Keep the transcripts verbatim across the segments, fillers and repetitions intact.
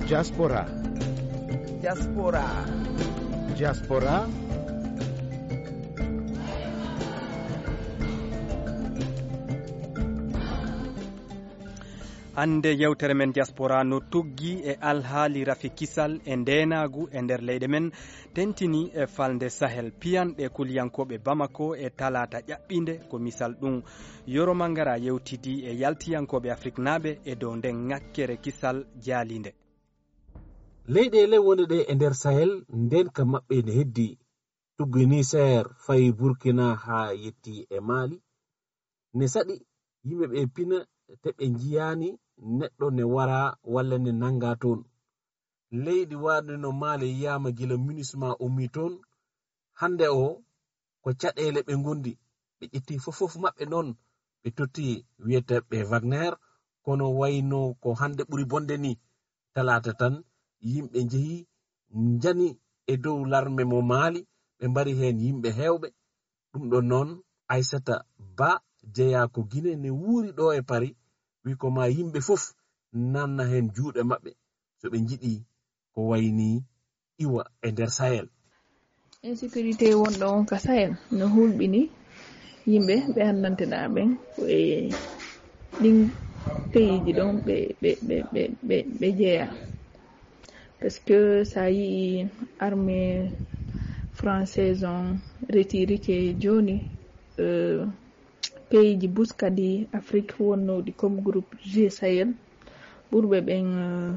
Diaspora. Diaspora. Diaspora. Hannde yewtere men Diaspora no tuggi e alhaali rafi kisal e ndeenaagu e nder leyɗe men, tentini e falnde Sahel. Piyanɗe kuliyankooɓe Bamako e talaata ƴaɓɓiinde ko misal ɗum. Yoro Mangara yewtidi e yaltiyankooɓe Afriknaaɓe e dow nden ŋakkere kisal jaaliinde. Leyɗeele wonɗe ɗe e nder Sahel, ndeenka maɓɓe ne heddi. Tuggi Niseer, fayi Burkina haa yetti e Maali. Ne saɗi yimɓe ɓe pina te ɓe njiyaani neɗɗo ne wara walla ne nannga toon. Leydi waɗude no Maali yiyaama gila MINUSMA ummii toon. Hannde o, ko caɗeele ɓe ngondi. Ɓe ƴetti fof fof maɓɓe noon, ɓe totti wiyeteeɓe Wagner, kono wayno ko hannde ɓuri bonde ni. Talaata tan, yimɓe njehi, njani e dow larme mo Maali, ɓe mbari heen yimɓe heewɓe. Ɗum ɗon noon, Aissata Ba jeyaa ko Gine ne wuuri ɗo e Paris, wi ko ma yimɓe fof nanna heen juuɗe maɓɓe, so ɓe njiɗi ko wayni iwa e nder Sahel. Insécurité wonɗo on ka Sahel no hulɓini yimɓe ɓe anndanteɗaa ɓen ko e ɗin peyiiji ɗon ɓe, ɓe, ɓe, ɓe, ɓe, ɓe jeyaa. Parce que sa yii armée française on retirike jooni, euh, peyiiji buskadi Afrique wonnooɗi comme groupe G Sahel, ɓurɓe ɓen, euh,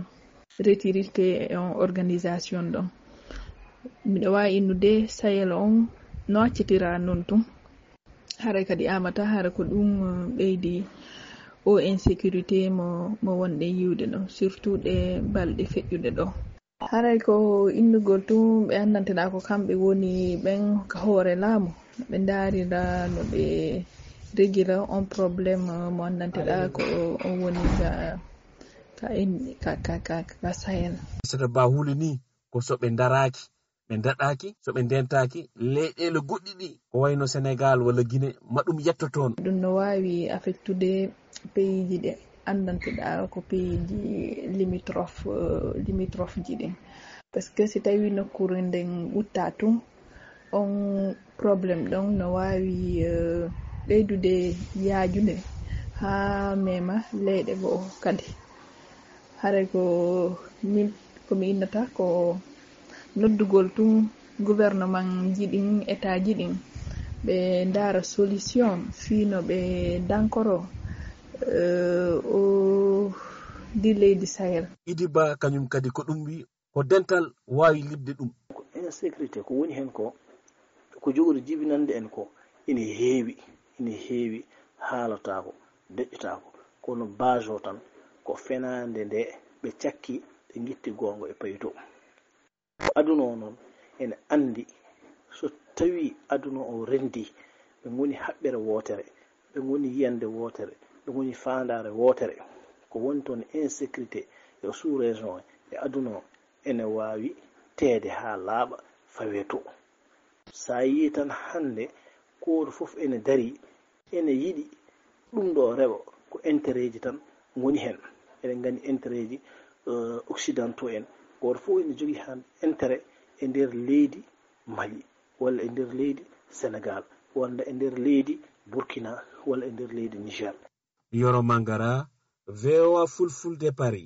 retirike e on organisation ɗon. Miɗo waawi innude Sahel on no accitira non tun. Haray kadi amata, hara ko ɗum, euh, ɓeydi o insécurité mo, mo wonɗen yiwde ɗo, surtout ɗe balɗe feƴƴuɗe ɗo. Haray ko innugol tun ɓe anndanteɗaa ko kamɓe woni ɓen ka hoore laamu. Ɓe ndaarira no ɓe regira on problème mo anndanteɗaa ko on woni ka, ka, in- ka, ka, ka, ka Sahel. Aissata Ba hulini ko so ɓe ndaraaki, ɓe ndaɗaaki, so ɓe ndentaaki, leyɗeele goɗɗi ɗi, ko wayno Senegal walla Gine, ma ɗum yetto toon. Ɗum no waawi affectude peyiiji ɗe anndanteɗaa ko peyiiji limitrophe, euh, limitrophe ji ɗin. Parce que si tawi nokkuure nden ɓuttaa tun, on problème ɗon no waawi, euh, ɓeydude yaajude haa mema leyɗe goo kadi. Haray ko min, ko mi innata ko noddugol tun gouvernement ji ɗin, État ji ɗin, ɓe ndaara solution fii no ɓe dankoro, euh, o di leydi Sahel. Idi Ba kañum kadi ko ɗum wi ko dental waawi liɓde ɗum. Ko insécurité ko woni heen ko, ko jogori jibinande en ko ina heewi, ina heewi, haalataako, deƴƴataako, kono base o tan ko fenaande nde ɓe cakki, ɓe ngitti goonga e payto. Aduna o noon ene anndi so tawi aduna o renndi, ɓe ngoni haɓɓere wootere, ɓe ngoni yiyannde wootere, ɓe ngoni faandaare wootere. Ko woni toon insécurité e sous-région e aduna o ene waawi teede haa laaɓa fawee to. So a yii tan hannde gooto fof ene darii, ene yiɗi ɗum ɗo rewa ko intérêt ji tan ngoni heen. Eɗen nganndi intérêt ji, euh, occidentaux en. Gooto fof ene jogii hannde intérêt e nder leydi Mali, walla e nder leydi Sénégal, walla e nder leydi Burkina, walla e nder leydi Niger. Yoro Mangara, V O A Fulfulde Paris.